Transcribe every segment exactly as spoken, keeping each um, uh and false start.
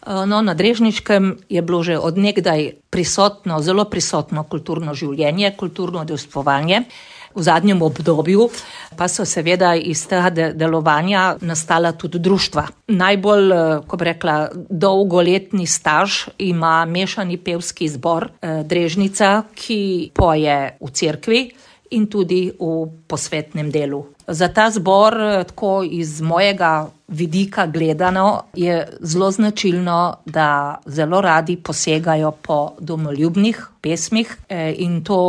No, na Drežniškem je bilo že od nekdaj prisotno, zelo prisotno kulturno življenje, kulturno udejstvovanje. V zadnjem obdobju pa so seveda iz tega delovanja nastala tudi društva. Najbolj, ko bi rekla, dolgoletni staž ima mešani pevski zbor Drežnica, ki poje v cerkvi in tudi v posvetnem delu. Za ta zbor, tako iz mojega vidika gledano, je zelo značilno, da zelo radi posegajo po domoljubnih pesmih in to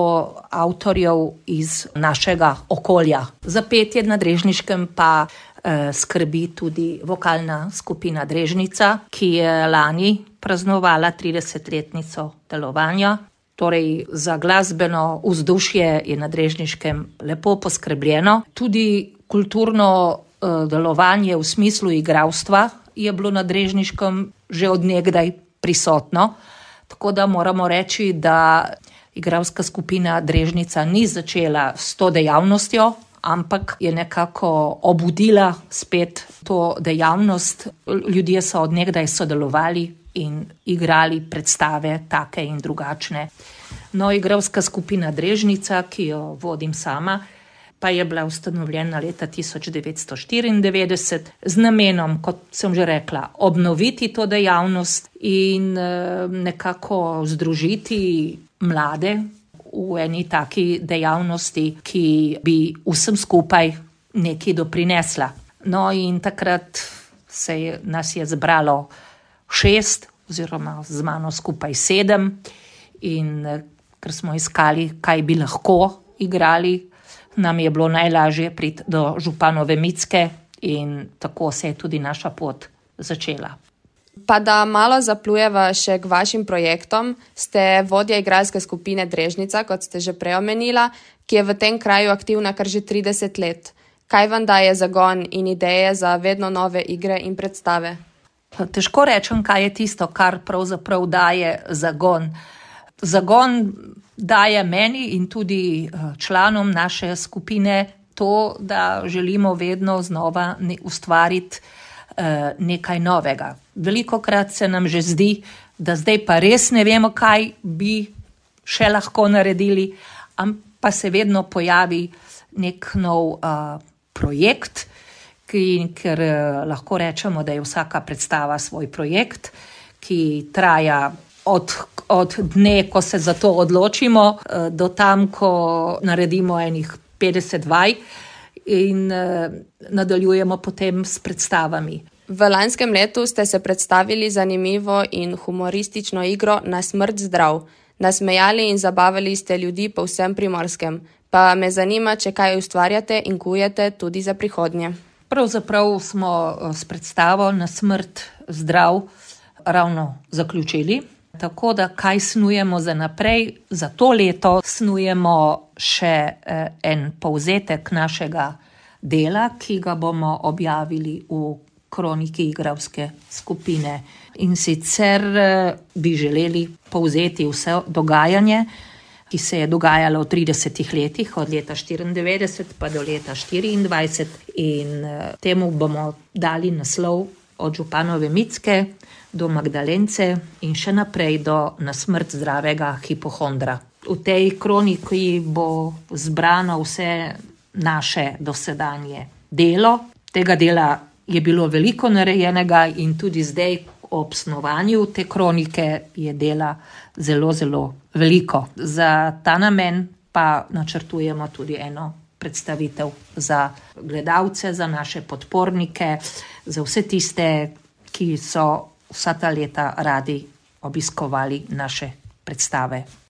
avtorjev iz našega okolja. Za petje na Drežniškem pa eh, skrbi tudi vokalna skupina Drežnica, ki je lani praznovala tridesetletnico delovanja. Torej, za glasbeno vzdušje je na Drežniškem lepo poskrbljeno. Tudi kulturno uh, delovanje v smislu igralstva je bilo na Drežniškem že od nekdaj prisotno. Tako da moramo reči, da igralska skupina Drežnica ni začela s to dejavnostjo, ampak je nekako obudila spet to dejavnost. Ljudje so od nekdaj sodelovali in igrali predstave take in drugačne. No, igralska skupina Drežnica, ki jo vodim sama, pa je bila ustanovljena leta tisoč devetsto štiriindevetdeset z namenom, kot sem že rekla, obnoviti to dejavnost in nekako združiti mlade v eni taki dejavnosti, ki bi vsem skupaj nekaj doprinesla. No, in takrat se je, nas je zbralo šest oziroma z mano skupaj sedem in ker smo iskali, kaj bi lahko igrali, nam je bilo najlažje priti do Županove Micke in tako se je tudi naša pot začela. Pa da malo zaplujeva še k vašim projektom, ste vodja igralske skupine Drežnica, kot ste že prej omenila, ki je v tem kraju aktivna kar že trideset let. Kaj vam daje zagon in ideje za vedno nove igre in predstave? Težko rečem, kaj je tisto, kar pravzaprav daje zagon. Zagon daje meni in tudi članom naše skupine to, da želimo vedno znova ustvariti nekaj novega. Velikokrat se nam že zdi, da zdaj pa res ne vemo, kaj bi še lahko naredili, pa se vedno pojavi nek nov uh, projekt, ki, ker lahko rečemo, da je vsaka predstava svoj projekt, ki traja od, od dne, ko se za to odločimo, do tam, ko naredimo enih petdeset vaj in nadaljujemo potem s predstavami. V lanskem letu ste se predstavili zanimivo in humoristično igro Na smrt zdrav. Nasmejali in zabavali ste ljudi po vsem Primorskem. Pa me zanima, če kaj ustvarjate in kujete tudi za prihodnje. Pravzaprav smo s predstavo Na smrt zdrav ravno zaključili. Tako da kaj snujemo za naprej, za to leto snujemo še en povzetek našega dela, ki ga bomo objavili v kroniki igralske skupine. In sicer bi želeli povzeti vse dogajanje, ki se je dogajalo v tridesetih letih, od leta štiriindevetdeset pa do leta štiriindvajset, in temu bomo dali naslov od Županove Micke do Magdalence in še naprej do Na smrt zdravega hipohondra. V tej kroniki bo zbrano vse naše dosedanje delo. Tega dela je bilo veliko narejenega in tudi zdaj ob snovanju te kronike je dela zelo, zelo veliko. Za ta namen pa načrtujemo tudi eno predstavitev za gledalce, za naše podpornike, za vse tiste, ki so vsa ta leta radi obiskovali naše predstave.